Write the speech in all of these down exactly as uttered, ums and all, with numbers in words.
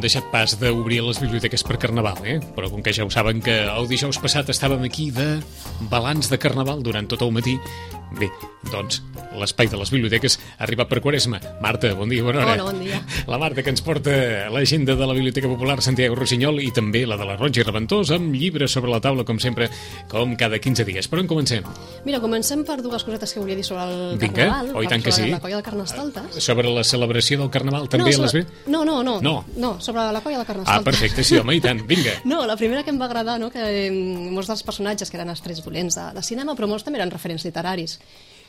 han deixat pas d'obrir les biblioteques per Carnaval, eh? Però com que ja ho saben que el dijous passat estàvem aquí de balanç de Carnaval durant tot el matí, bé, doncs l'espai de les biblioteques ha arribat per Quaresma. Marta, bon dia, bona hora. Hola, bon dia. La Marta, que ens porta l'agenda de la Biblioteca Popular Santiago Rossinyol i també la de la Roig i Reventós, amb llibres sobre la taula, com sempre, com cada quinze dies. Per on comencem? Mira, comencem per dues cosetes que volia dir sobre el Vinga. Carnaval. Oh, i tant que sobre sí. la colla de Carnestoltes. Sobre la celebració del Carnaval també no, a les sobre... ve? No, no, no, No. no, sobre la colla de Carnestoltes. Ah, perfecte, sí, home, i tant, vinga. No, la primera que em va agradar, no, que eh, molts dels personatges que eren estrets dolents de, de cinema, però molts també eren referents literaris.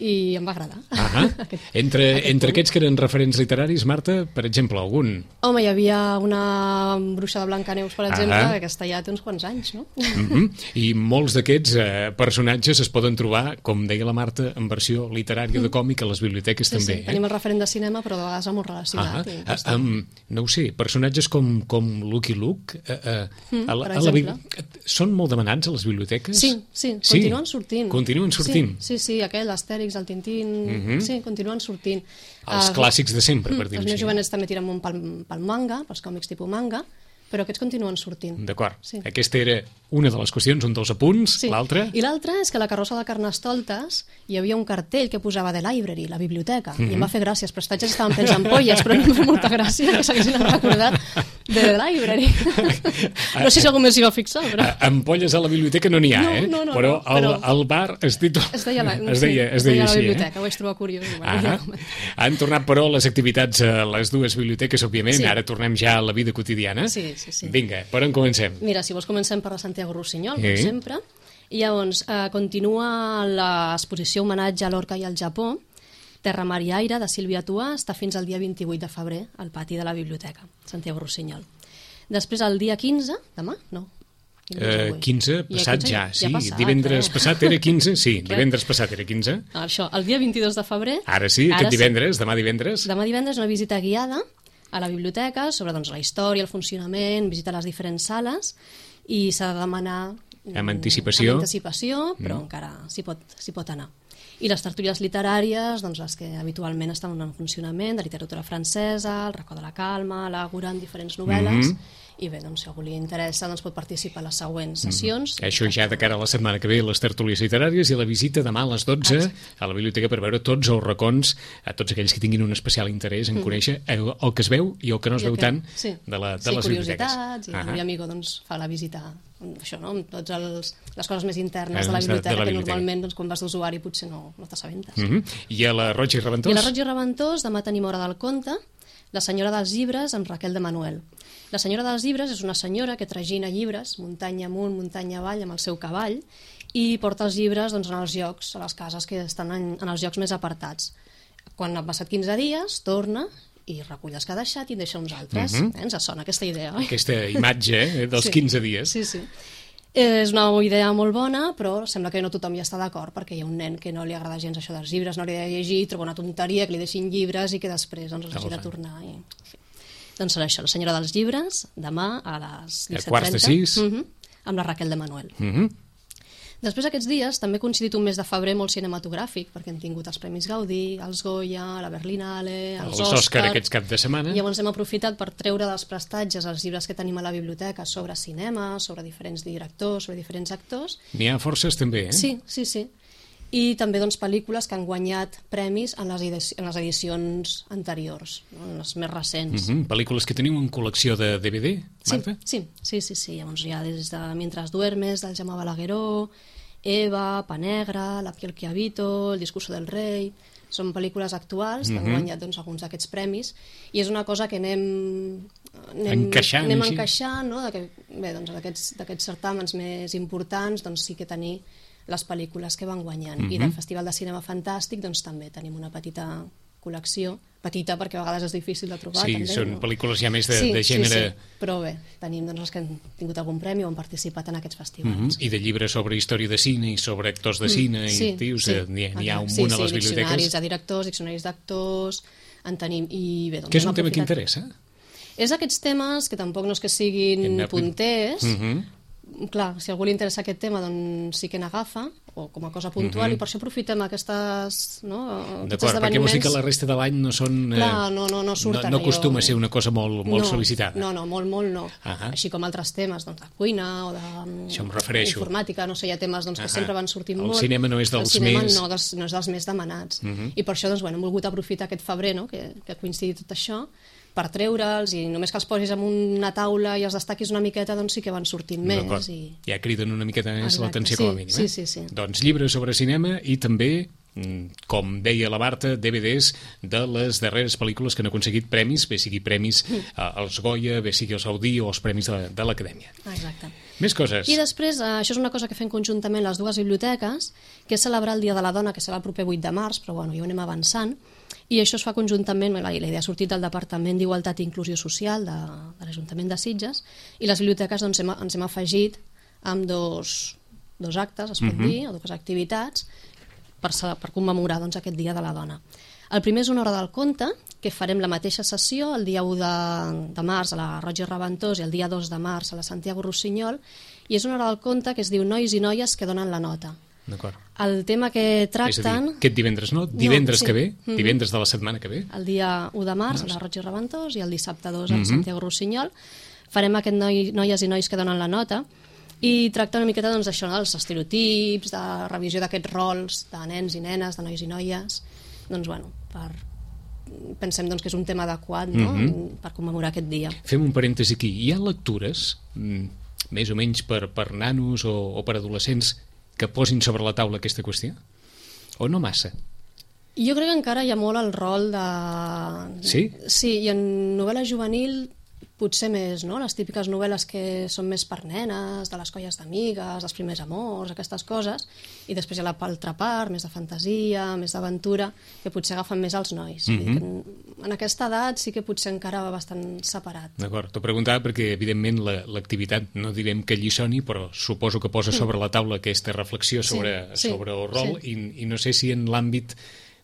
I em va agradar. Ah, aquest, entre, aquest entre punt. aquests que eren referents literaris, Marta, per exemple, algun? Home, hi havia una bruixa de Blancaneus, per exemple, Ah. que aquesta ja té uns quants anys, no? Mm-hmm. I molts d'aquests eh, personatges es poden trobar, com deia la Marta, en versió literària de còmic a les biblioteques Sí, també. sí, tenim el referent de cinema, però de vegades molt relacionat. Ah, i ah, està. um, no ho sé, personatges com, com Lucky Luke eh, eh, Mm, a la, per a la, exemple. bibli- són molt demanats a les biblioteques? Sí, sí, continuen sortint. Continuen sortint. Sí, sí, sí, aquell, l'Astèrix, el Tintín, Mhm. sí, continuen sortint. Els Ah, clàssics de sempre, per mm, dir-ho Els meus així. jovenets també tiren molt pel, pel manga, pels còmics tipus manga, però aquests continuen sortint. D'acord. Sí. Aquesta era una de les qüestions, un dels apunts. Sí. L'altra? I l'altra és que a la carrossa de Carnestoltes hi havia un cartell que posava The Library, la biblioteca, i em va fer gràcia. Els prestatges estaven plens d'ampolles, però a mi em fa molta gràcia que s'haguessin recordat de The Library. No sé si algú més s'hi va fixar, però... A- Ampolles a la biblioteca no n'hi ha, No, eh? no, no, però, no, però- al, al bar es títol... Es deia la, es deia, sí, es deia la així, biblioteca, eh? ho vaig trobar curiós. i bueno, Ah, ja ho comentem. han tornat, però, les activitats a les dues biblioteques, òbviament. Sí. Ara tornem ja a la vida quotidiana. Sí, sí, sí. Vinga, per on comencem? Mira, si vols comencem per la Santiago Rossinyol, Sí. com sempre. I llavors, eh, continua l'exposició homenatge a l'Orca i al Japó, Terra, Mar i Aire, de Sílvia Tuà, està fins al dia vint-i-vuit de febrer al pati de la biblioteca, Santiago Rossinyol. Després, el dia quinze, demà? No. Quin dia és Eh, avui? quinze, Ja, passat quinze, ja, sí. ha passat, divendres eh? passat era quinze, sí, Què? divendres passat era quinze. Això, el dia vint-i-dos de febrer... Ara sí, ara aquest divendres, demà divendres. Demà divendres una visita guiada a la biblioteca sobre doncs, la història, el funcionament, visitar les diferents sales i s'ha de demanar mm, Amb anticipació. amb anticipació, però mm. encara s'hi pot, s'hi pot anar. I les tertúlies literàries, doncs les que habitualment estan en funcionament, de literatura francesa, el racó de la calma, l'àgora, en diferents novel·les, Mhm. i bé, doncs, si algú li interessa, doncs pot participar a les següents sessions. Això ja de cara a la setmana que ve, les tertúlies literàries i la visita demà a les dotze Exacte. a la biblioteca per veure tots els racons, a tots aquells que tinguin un especial interès en conèixer el, el que es veu i el que no es I el veu que- tant sí. de, la, de sí, les biblioteques. curiositats, i Ah, el meu amigo doncs, fa la visita això, no? amb totes els, les coses més internes Eh, de la de- de la biblioteca, que biblioteca. normalment doncs, quan vas d'usuari potser no, no t'assabentes. Mhm. I a la Roig i Reventós? I a la Roig i Reventós demà tenim Hora del Conte, La senyora dels llibres amb Raquel de Manuel. La senyora dels llibres és una senyora que tragina llibres muntanya amunt, muntanya avall amb el seu cavall i porta els llibres doncs, en els llocs, a les cases que estan en, en els llocs més apartats. Quan han passat quinze dies, torna i recull els que ha deixat i en deixa uns altres. Mhm. eh? Ens sona aquesta idea, oi? Aquesta imatge eh, dels Sí. quinze dies. Sí, sí. És una idea molt bona, però sembla que no tothom hi està d'acord, perquè hi ha un nen que no li agrada gens això dels llibres, no li ha de llegir, troba una tonteria, que li deixin llibres i que després doncs, els hagi de tornar. I... en fi. Doncs serà això, la senyora dels llibres, demà a les A disset quarts de trenta, sis. mhm, amb la Raquel de Manuel. Mhm. Després aquests dies també ha coincidit un mes de febrer molt cinematogràfic, perquè hem tingut els Premis Gaudí, els Goya, la Berlinale, els, Els Òscar aquests cap de setmana. I llavors hem aprofitat per treure dels prestatges els llibres que tenim a la biblioteca sobre cinema, sobre diferents directors, sobre diferents actors. N'hi ha forces també, eh? Sí, sí, sí. I també doncs, pel·lícules que han guanyat premis en les, edici en les edicions anteriors, no? En les més recents. Mhm. Pel·lícules que teniu en col·lecció de D V D, Sí, Marta? sí, sí, sí, sí. Llavors hi ha des de Mientras duermes, del Jaume Balagueró, Eva, Pa Negra, La piel que habito, El discurso del rei... Són pel·lícules actuals que han Mhm. guanyat doncs, alguns d'aquests premis i és una cosa que anem, anem Encaixant, anem així. encaixant, no? De que, bé, doncs, d'aquests d'aquests certàmens més importants doncs, sí que tenir les pel·lícules que van guanyant. Mhm. I del Festival de Cinema Fantàstic doncs, també tenim una petita col·lecció, petita perquè a vegades és difícil de trobar. Sí, també, són no? pel·lícules ja més de, sí, de gènere... Sí, sí, però bé, tenim doncs, els que han tingut algun premi o han participat en aquests festivals. Mhm. I de llibres sobre història de cine i sobre actors de cine, i dius, eh, n'hi ha, n'hi ha un sí, munt a sí, les biblioteques. diccionaris de directors, diccionaris d'actors, en tenim... I bé, doncs, Què és hem un tema que aprofitat- interessa? És aquests temes que tampoc no és que siguin En- punters, Mhm. clar, si a algú li interessa aquest tema, doncs sí que n'agafa, o com a cosa puntual, mm-hmm. i per això aprofitem aquestes, no, d'acord, perquè vols dir que la resta de l'any no són... Clar, no, no, no surten. No, no acostuma a ser una cosa molt, molt no, sol·licitada. No, no, molt, molt no. Uh-huh. Així com altres temes, doncs, de cuina o de això em refereixo. Informàtica, no sé, hi ha temes doncs, que uh-huh. sempre van sortint el molt. El cinema no és dels el cinema més... no, dels, no és dels més demanats. Uh-huh. I per això, doncs, bueno, hem volgut aprofitar aquest febrer, no?, que, que coincidit tot això, per treure'ls, i només que els posis en una taula i els destaquis una miqueta, doncs sí que van sortint més. I... ja criden una miqueta més l'atenció, sí, com a mínim. Sí, eh? sí, sí. Doncs llibres sobre cinema i també, com deia la Marta, D V Ds de les darreres pel·lícules que han aconseguit premis, bé sigui premis als Goya, bé sigui els Gaudí o els premis de, de l'Acadèmia. Exacte. Més coses. I després, eh, això és una cosa que fem conjuntament les dues biblioteques, que és celebrar el Dia de la Dona, que serà el proper vuit de març, però bueno, ja ho anem avançant, i això es fa conjuntament, la idea ha sortit del Departament d'Igualtat i Inclusió Social de, de l'Ajuntament de Sitges, i les biblioteques doncs, hem, ens hem afegit amb dos, dos actes, es pot uh-huh. dir, o dues activitats, per, per commemorar doncs, aquest Dia de la Dona. El primer és una hora del conte, que farem la mateixa sessió el dia u de, de març a la Roig i Reventós i el dia dos de març a la Santiago Rossinyol, i és una hora del conte que es diu Nois i noies que donen la nota. D'acord. El tema que tracten... És a dir, aquest divendres no? Divendres no, sí. que ve? Mm-hmm. Divendres de la setmana que ve? El dia u de març a la Roig i Reventós i el dissabte dos a la mm-hmm. Santiago Rossinyol. Farem aquest noi, noies i nois que donen la nota i tracta una miqueta doncs, això, no? Els estereotips, de revisió d'aquests rols de nens i nenes, de nois i noies. Doncs, bueno, per... pensem doncs, que és un tema adequat, no? Mm-hmm. per commemorar aquest dia. Fem un parèntesi aquí. Hi ha lectures, més o menys per, per nanos o, o per adolescents, que posin sobre la taula aquesta qüestió? O no massa? Jo crec que encara hi ha molt el rol de... Sí? Sí, i en novel·la juvenil potser més, no? Les típiques novel·les que són més per nenes, de les colles d'amigues, dels primers amors, aquestes coses, i després hi ha l'altra part, més de fantasia, més d'aventura, que potser agafen més als nois. Mm-hmm. En, en aquesta edat sí que potser encara va bastant separat. D'acord, t'ho preguntava perquè, evidentment, la, l'activitat, no direm que lliçoni, però suposo que posa sobre la taula aquesta reflexió sobre, sí, sí, sobre el rol, sí. i, i no sé si en l'àmbit,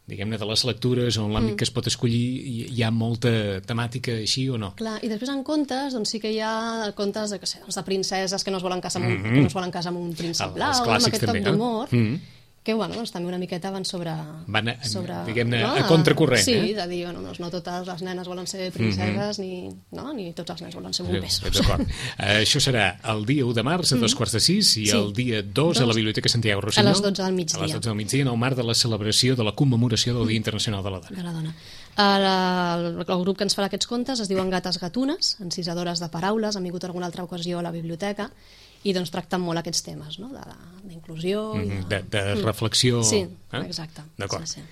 diguem-ne, de les lectures o en l'àmbit mm. que es pot escollir hi, hi ha molta temàtica així o no? Clar, i després en contes, doncs sí que hi ha contes de, que sé, de princeses que no es volen casar amb un, mm-hmm. que no es volen casar amb un príncep blau, amb aquest també, toc d'humor, no? mm-hmm. que bueno, doncs, també una miqueta van sobre... Van a, sobre, diguem-ne, no? a contracorrent, sí, eh? Sí, de dir, bueno, doncs no totes les nenes volen ser princeses, mm-hmm. ni, no? ni tots els nens volen ser bombers. Sí, d'acord. uh, això serà el dia u de març a dos quarts de sis i sí. el dia dos a la Biblioteca Santiago Rossinyol. A les dotze del migdia. A les dotze del migdia, en el marc de la celebració de la commemoració del Dia Internacional de la Dona. De la dona. El, el grup que ens farà aquests contes es diuen Gates Gatunes, encisadores de paraules, han vingut alguna altra ocasió a la biblioteca, i doncs tracten molt aquests temes, no? D'inclusió... Mm, de, de, de reflexió... Sí, eh? exacte. D'acord. Sí, sí.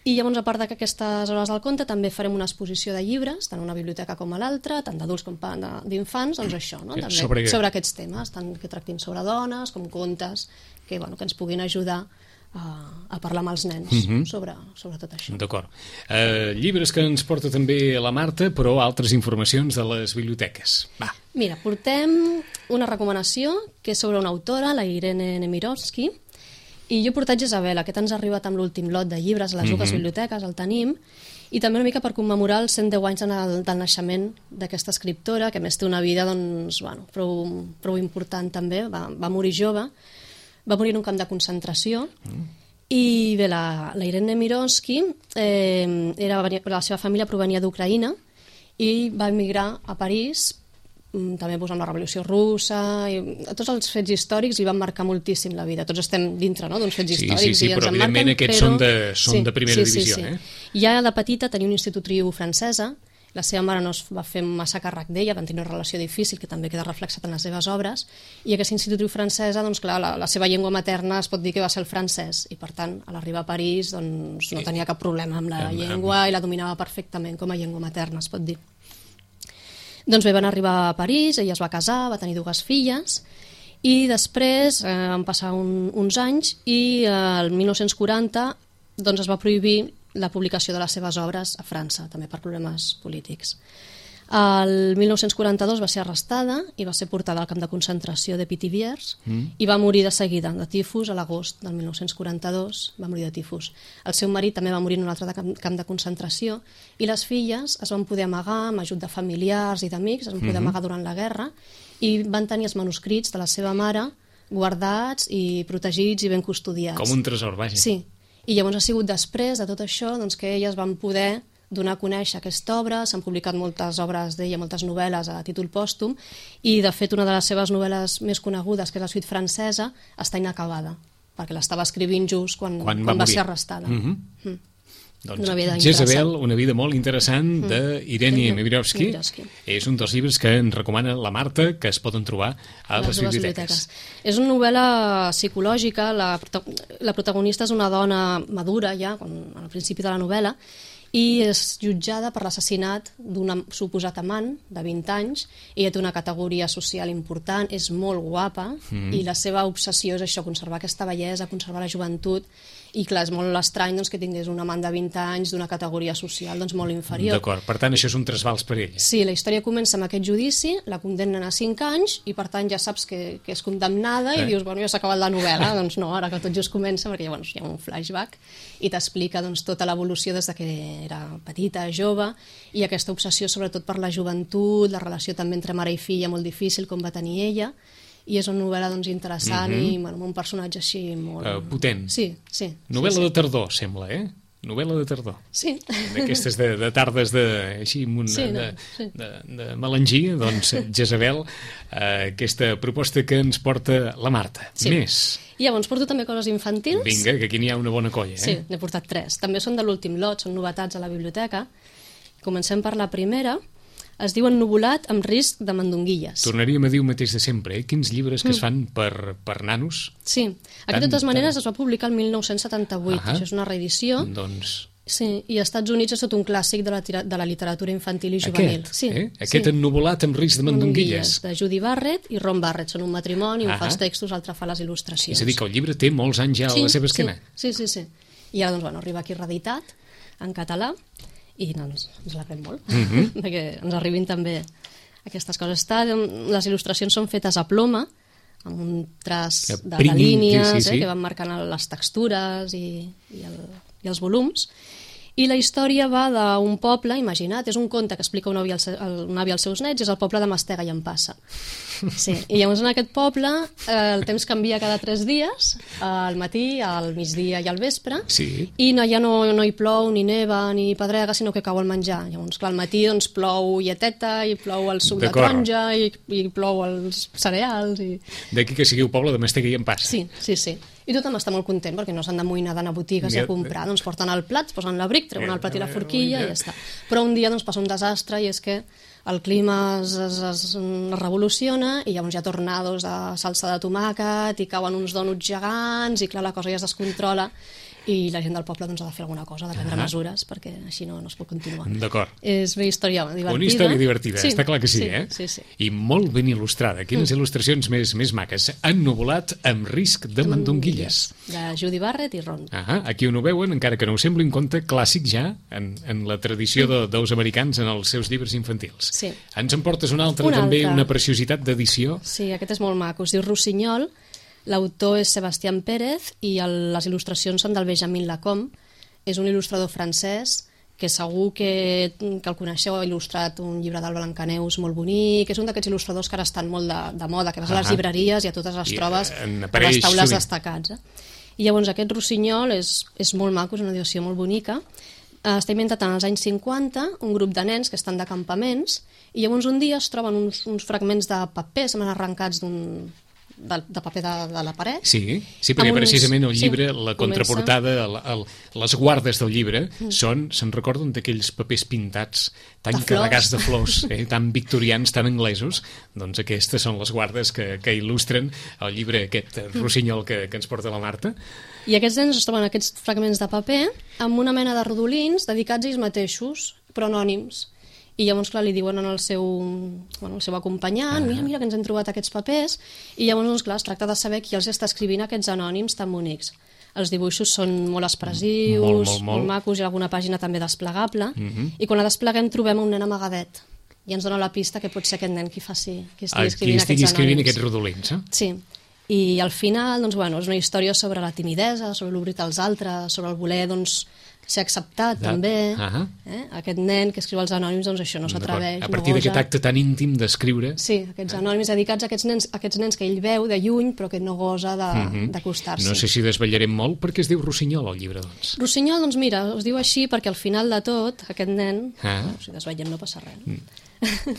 I llavors, a part d'aquestes hores del conte, també farem una exposició de llibres, tant una biblioteca com a l'altra, tant d'adults com d'infants, doncs això, no? També sobre... sobre aquests temes, tant que tractin sobre dones com contes, que, bueno, que ens puguin ajudar a, a parlar amb els nens mm-hmm. sobre, sobre tot això. D'acord. Uh, llibres que ens porta també la Marta, però altres informacions de les biblioteques. Va. Mira, portem una recomanació que és sobre una autora, la Irene Nemirovsky, i jo he portat Jezabel, aquest ens ha arribat amb l'últim lot de llibres a les mm-hmm. dues biblioteques, el tenim, i també una mica per commemorar els cent deu anys del, del naixement d'aquesta escriptora, que a més té una vida doncs, bueno, prou, prou important també, va, va morir jove, va morir en un camp de concentració, mm. i bé, la, la Irene Nemirovsky, eh, era, la seva família provenia d'Ucraïna, i va emigrar a París, també pues, amb la Revolució Russa, i tots els fets històrics li van marcar moltíssim la vida. Tots estem dintre, no?, d'uns fets sí, històrics. Sí, sí, i però ens evidentment marquen, aquests però... són, de, són sí, de primera sí, divisió. Sí, sí. Eh? Ja de petita tenia un institutriu francesa, la seva mare no es va fer massa càrrec d'ella, van tenir una relació difícil, que també queda reflexat en les seves obres, i aquesta institutriu francesa, doncs clar, la, la seva llengua materna es pot dir que va ser el francès, i per tant, a l'arribar a París, doncs no tenia cap problema amb la llengua i la dominava perfectament com a llengua materna, es pot dir. Doncs bé, van arribar a París, ella es va casar, va tenir dues filles, i després eh, van passar un, uns anys i eh, el mil nou-cents quaranta doncs, es va prohibir la publicació de les seves obres a França, també per problemes polítics. El mil nou-cents quaranta-dos va ser arrestada i va ser portada al camp de concentració de Pithiviers Mm. i va morir de seguida de tifus a l'agost del mil nou-cents quaranta-dos, va morir de tifus. El seu marit també va morir en un altre de camp, camp de concentració i les filles es van poder amagar amb ajut de familiars i d'amics, es van poder Mhm. amagar durant la guerra i van tenir els manuscrits de la seva mare guardats i protegits i ben custodiats. Com un tresor, vaja. Sí, i llavors ha sigut després de tot això doncs, que elles van poder donar a conèixer aquesta obra, s'han publicat moltes obres d'ella, moltes novel·les a títol pòstum, i de fet una de les seves novel·les més conegudes, que és la suite francesa, està inacabada, perquè l'estava escrivint just quan, Quan quan, va va, morir. ser arrestada. Mhm. Mm. Doncs Una vida Jezebel, interessant. una vida molt interessant d'Irene Mhm. Nemirovsky. Nemirovsky. És un dels llibres que ens recomana la Marta, que es poden trobar a les, dues biblioteques. És una novel·la psicològica, la, prota- la protagonista és una dona madura ja, quan, al principi de la novel·la, i és jutjada per l'assassinat d'un suposat amant de vint anys. Ella té una categoria social important, és molt guapa, Mm. i la seva obsessió és això, conservar aquesta bellesa, conservar la joventut, i clar, és molt estrany doncs, que tingués un amant de vint anys d'una categoria social doncs, molt inferior. D'acord, per tant, això és un trasbals per ella. Sí, la història comença amb aquest judici, la condemnen a cinc anys i per tant ja saps que, que és condemnada i Eh? dius, bueno, ja s'ha acabat la novel·la, doncs no, ara que tot just comença, perquè llavors hi ha un flashback i t'explica doncs, tota l'evolució des de que era petita, jove, i aquesta obsessió sobretot per la joventut, la relació també entre mare i filla molt difícil com va tenir ella, i és una novel·la doncs, interessant Mhm. i bueno, amb un personatge així molt... Uh, potent. Sí, sí. Novel·la sí, de tardor, sembla, eh? Novel·la de tardor. Sí. D'aquestes de, de tardes de, així, amb una, Sí, no, de, sí. de, de melangia, doncs, Jezebel, eh, aquesta proposta que ens porta la Marta. Sí. Més. I llavors porto també coses infantils. Vinga, que aquí n'hi ha una bona colla, eh? Sí, n'he portat tres. També són de l'últim lot, són novetats a la biblioteca. Comencem per la primera. Es diu Ennuvolat amb risc de mandonguilles. Tornaríem a dir el mateix de sempre, eh? Quins llibres que es fan per, per nanos. Sí, aquest de totes maneres es va publicar el mil nou-cents setanta-vuit, Ahà. això és una reedició. Doncs Sí, i als Estats Units és tot un clàssic de la, tira- de la literatura infantil i juvenil. aquest, Sí, eh? Aquest sí. ennuvolat amb risc de mandonguilles. De Judy Barrett i Ron Barrett. Són un matrimoni, un Ahà. fa els textos, l'altre fa les il·lustracions. És a dir, que el llibre té molts anys ja a la seva esquena. Sí, sí, sí. I ara, doncs, bueno, arriba aquí reeditat, en català, i no, ens, ens l'agrem molt, Mhm. perquè ens arribin també aquestes coses. Està, les il·lustracions són fetes a ploma, amb un traç Que de, de pringuin, línies, sí, sí, sí. Eh, que van marcant les textures i, i, el, i els volums. I la història va d'un poble, imagina't, és un conte que explica un avi, als, un avi als seus nets, és el poble de Mastega i Empassa. Sí. I llavors en aquest poble eh, el temps canvia cada tres dies, al matí, al migdia i al vespre, Sí. i no, ja no, no hi plou, ni neva, ni pedrega, sinó que cau el menjar. Llavors, clar, al matí doncs, plou lleteta, i plou el suc de D'acord. taronja, i, i plou els cereals, i... D'aquí que sigui un poble de Mastega i Empassa. Sí, sí, sí. I tothom està molt content perquè no s'han d'amoïnar d'anar a botigues i a comprar. Doncs porten el plat, posen l'abric, treuen el plat i la forquilla i ja està. Però un dia doncs, passa un desastre i és que el clima es, es, es revoluciona i llavors hi ha tornados de salsa de tomàquet i cauen uns dònuts gegants i clar, la cosa ja es descontrola i la gent del poble doncs, ha de fer alguna cosa, ha de prendre Ah. mesures perquè així no, no es pot continuar. D'acord. És bé història divertida. Una història divertida, Sí, està clar que sí, sí, eh? Sí, sí. I molt ben il·lustrada. Quines il·lustracions més, més maques. Ennuvolat amb risc de mandonguilles. De Judy Barrett i Ron. Ah, aquí on ho veuen, encara que no ho sembli, un conte clàssic ja en, en la tradició de, dels americans en els seus llibres infantils. Sí. Ens en portes un altre, Un també, altre. una preciositat d'edició. Sí, aquest és molt maco, es diu Rossinyol, l'autor és Sebastián Pérez i el, les il·lustracions són del Benjamin Lacombe, és un il·lustrador francès que segur que, que el coneixeu, ha il·lustrat un llibre del Blancaneus molt bonic, és un d'aquests il·lustradors que ara estan molt de, de moda, que vas a les Ahà. llibreries i a totes les I, trobes eh, en a apareix les taules sovint. destacats. Eh? I llavors aquest Rossinyol és, és molt maco, és una edició molt bonica. Eh, Està inventat en els anys cinquanta, un grup de nens que estan de campaments, i llavors un dia es troben uns, uns fragments de paper, semblen arrencats d'un de, de paper de, de la paret. Sí, sí, perquè Amb uns- precisament el llibre, sí, la comença- contraportada, el, el, les guardes del llibre, són, se'n recorden d'aquells papers pintats tan De flors. carregats de flors, eh, tan victorians, tan anglesos, doncs aquestes són les guardes que, que il·lustren el llibre aquest eh, rossinyol que, que ens porta la Marta. I aquests nens es troben aquests fragments de paper amb una mena de rodolins dedicats a ells mateixos, però anònims. I llavors, clar, li diuen al seu, bueno, al seu acompanyant, mira, mira, que ens hem trobat aquests papers, i llavors, doncs, clar, es tracta de saber qui els està escrivint aquests anònims tan bonics. Els dibuixos són molt expressius, Molt, molt, molt. macos, hi ha alguna pàgina també desplegable, i quan la despleguem trobem un nen amagadet ja ens dona la pista que pot ser aquest nen qui faci, qui estigui Qui escrivint estigui aquests escrivint anònims. aquests rodolins, eh? Sí, i al final, doncs, bueno, és una història sobre la timidesa, sobre l'obrir als altres, sobre el voler, doncs, ser acceptat, De... també. Uh-huh. eh? Aquest nen que escriu els anònims, doncs això, no s'atreveix, A no partir d'aquest gosa. acte tan íntim d'escriure... Sí, aquests anònims dedicats a aquests nens, a aquests nens que ell veu de lluny, però que no gosa d'acostar-s'hi. No sé si desvetllarem molt, perquè es diu Rossinyol, el llibre, doncs. Rossinyol, doncs mira, es diu així perquè al final de tot, aquest nen, Ah. bueno, si desvetllem no passa res. No?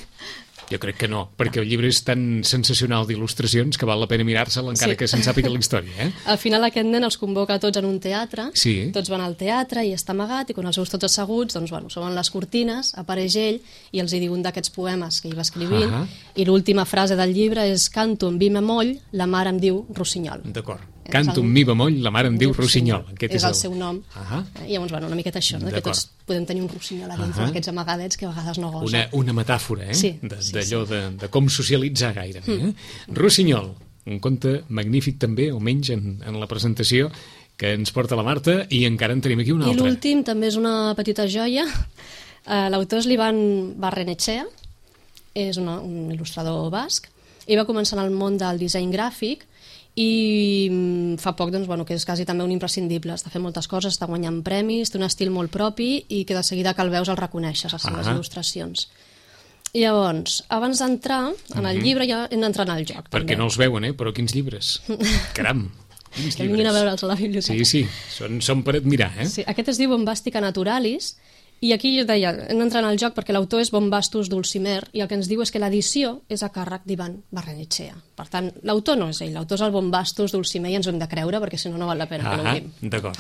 Jo crec que no, perquè el llibre és tan sensacional d'il·lustracions que val la pena mirar-se'l encara Sí. que se'n sàpiga la història, eh? Al final aquest nen els convoca tots en un teatre, Sí. tots van al teatre i està amagat, i quan els veus tots asseguts, doncs, bueno, s'obren les cortines, apareix ell i els hi diu un d'aquests poemes que ell va escrivint, Ahà. i l'última frase del llibre és «Canto en vi bemoll, la mare em diu Rossinyol». D'acord. És Canto el- un mi bemoll, la mare em diu Rossinyol. Rossinyol. Aquest és el seu nom. Ahà. I llavors, bueno, una miqueta això, no? que D'acord. tots podem tenir un Rossinyol a dintre Ahà. d'aquests amagadets que a vegades no gosen. Una, una metàfora, eh? Sí, De- sí, D'allò sí. de, de com socialitzar gairebé, eh? Rossinyol, un conte magnífic també, almenys en, en la presentació, que ens porta la Marta, i encara en tenim aquí un I altre. l'últim també és una petita joia. Uh, L'autor és l'Ivan Barrenetxea, és una, un il·lustrador basc, i va començar en el món del disseny gràfic i mm, fa poc doncs, bueno, que és quasi també un imprescindible, està fent moltes coses, està guanyant premis, té un estil molt propi i que de seguida que el veus el reconeixes, les seves Ah. il·lustracions. I llavors, abans d'entrar en el llibre ja hem d'entrar en el joc. Perquè també. no els veuen, eh? Però quins llibres. Caram, quins Que vinguin a llibres. veure'ls a la biblioteca. Sí, sí, són, són per admirar, eh? Sí, aquest es diu Bombàstica Naturalis, i aquí jo deia, hem d'entrar en el joc perquè l'autor és Bombastus Dulcimer, i el que ens diu és que l'edició és a càrrec d'Ivan Barrenetxea. Per tant, l'autor no és ell, l'autor és el Bombastus Dulcimer i ens ho hem de creure perquè si no, no val la pena que Ah, l'obrim. d'acord.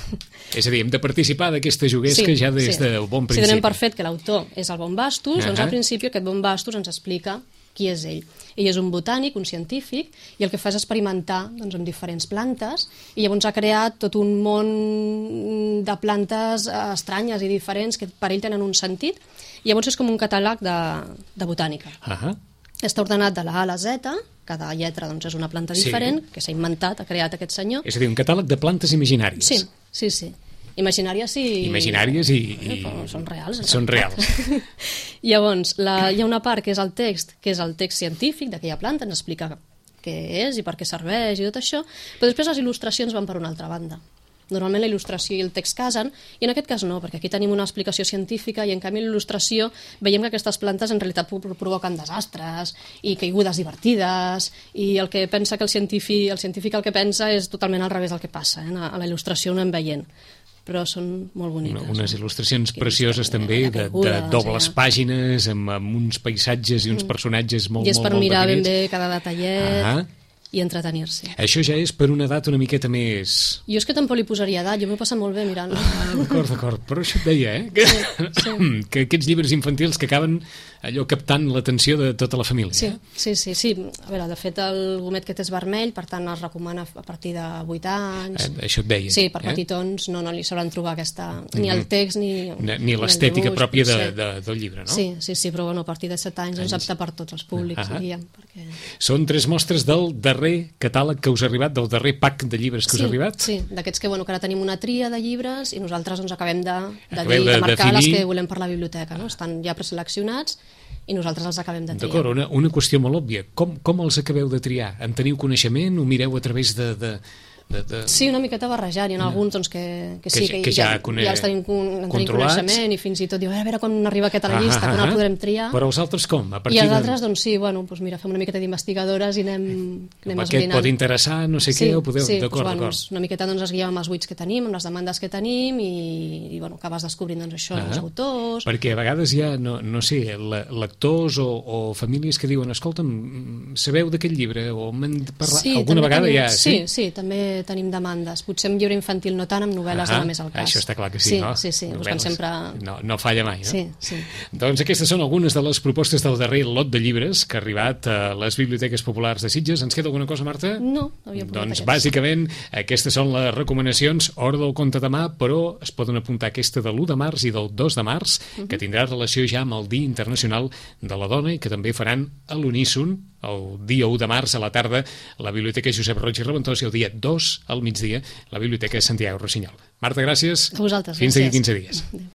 És a dir, hem de participar d'aquesta juguesca ja des sí. del bon Si principi. donem per fet que l'autor és el Bombastus, doncs Ahà. al principi aquest Bombastus ens explica qui és ell. Ell és un botànic, un científic, i el que fa és experimentar doncs, amb diferents plantes, i llavors ha creat tot un món de plantes eh, estranyes i diferents que per ell tenen un sentit, i llavors és com un catàleg de, de botànica. Ah, Està ordenat de la A a la Z, cada lletra doncs, és una planta Sí. diferent, que s'ha inventat, ha creat aquest senyor. és a dir, un catàleg de plantes imaginàries. Sí, sí, sí. Imaginàries sí... Imaginàries i... i... Eh, però són reals. en Són realitat. reals. Llavors, la, hi ha una part que és el text, que és el text científic d'aquella planta, ens explica què és i per què serveix i tot això, però després les il·lustracions van per una altra banda. Normalment la il·lustració i el text casen, i en aquest cas no, perquè aquí tenim una explicació científica i en canvi la il·lustració veiem que aquestes plantes en realitat pro- provoquen desastres i caigudes divertides, i el que pensa que el científic, el científic el que pensa és totalment al revés del que passa, eh? A la il·lustració ho anem veient, però són molt boniques. Unes eh? il·lustracions Que precioses història, també, de, de caigudes, dobles eh? pàgines, amb, amb uns paisatges i uns personatges molt, I és molt, per molt mirar ben definits. bé cada detallet Ah. i entretenir-se. Això ja és per una edat una miqueta més... Jo és que tampoc li posaria edat, jo m'ho he passat molt bé mirant-lo. Ah, d'acord, d'acord, però això et deia, eh? Que, sí. que aquests llibres infantils que acaben allò captant l'atenció de tota la família. Sí, eh? sí, sí, sí. A veure, de fet el gomet aquest és vermell, per tant es recomana a partir de vuit anys. Eh, això et deia. Sí, per eh? petitons no, no li sabran trobar aquesta... ni el text ni... Ni, ni el l'estètica dibuix, pròpia de, potser. de, del llibre, no? Sí, sí, sí, però bueno, a partir de set anys és apte per tots els públics, Ah. diríem. Perquè... Són tres mostres del darrer catàleg que us ha arribat, del darrer pack de llibres que sí, us ha arribat? Sí, d'aquests que, bueno, que ara tenim una tria de llibres i nosaltres doncs, acabem de, de, Acabeu dir, de de marcar definir- les que volem per la biblioteca. No? Estan ja preseleccionats i nosaltres els acabem de triar. D'acord, una, una qüestió molt òbvia. Com, com els acabeu de triar? En teniu coneixement? Ho mireu a través de... de, de, de... Sí, una miqueta barrejant. Hi ha alguns doncs, que, que sí, Que que, ja- que ja ja, cone- ja els tenim, con- en tenim controlats. coneixement i fins i tot diu, a veure quan arriba aquest a la Ah, llista, ah, quan el ah. podrem triar. Però els altres com? A I partir els de... altres, doncs sí, bueno, doncs mira, fem una miqueta d'investigadores i anem, anem Aquest esbrinant. pot interessar, no sé què, o podeu... Sí, D'acord, doncs, bueno, d'acord. una miqueta doncs, es guiem amb els buits que tenim, amb les demandes que tenim i, i bueno, acabes descobrint doncs, això, Ah. els autors... Perquè a vegades hi ha, no, no sé, le- lectors o, o famílies que diuen, escolta'm, sabeu d'aquest llibre? O m'han parlat... Sí, Alguna també vegada tenim, ja... sí, sí, també tenim demandes. Potser amb llibre infantil no tant, amb novel·les Ah, dona més el cas. Això està clar que sí, sí no? Sí, sí, Novel·les. buscant sempre... No, no falla mai, no? Sí, sí. Doncs aquestes són algunes de les propostes del darrer lot de llibres que ha arribat a les biblioteques populars de Sitges. Ens queda alguna cosa, Marta? No, havia portat Doncs aquests. bàsicament aquestes són les recomanacions Hora del conte demà, però es poden apuntar aquesta de l'u de març i del dos de març, Mhm. que tindrà relació ja amb el Dia Internacional de la Dona i que també faran a l'uníson el dia u de març a la tarda la Biblioteca Josep Roig i Reventós i el dia dos al migdia la Biblioteca Santiago Rossinyol. Marta, gràcies. A vosaltres, Fins d'aquí gràcies. quinze dies. Adéu.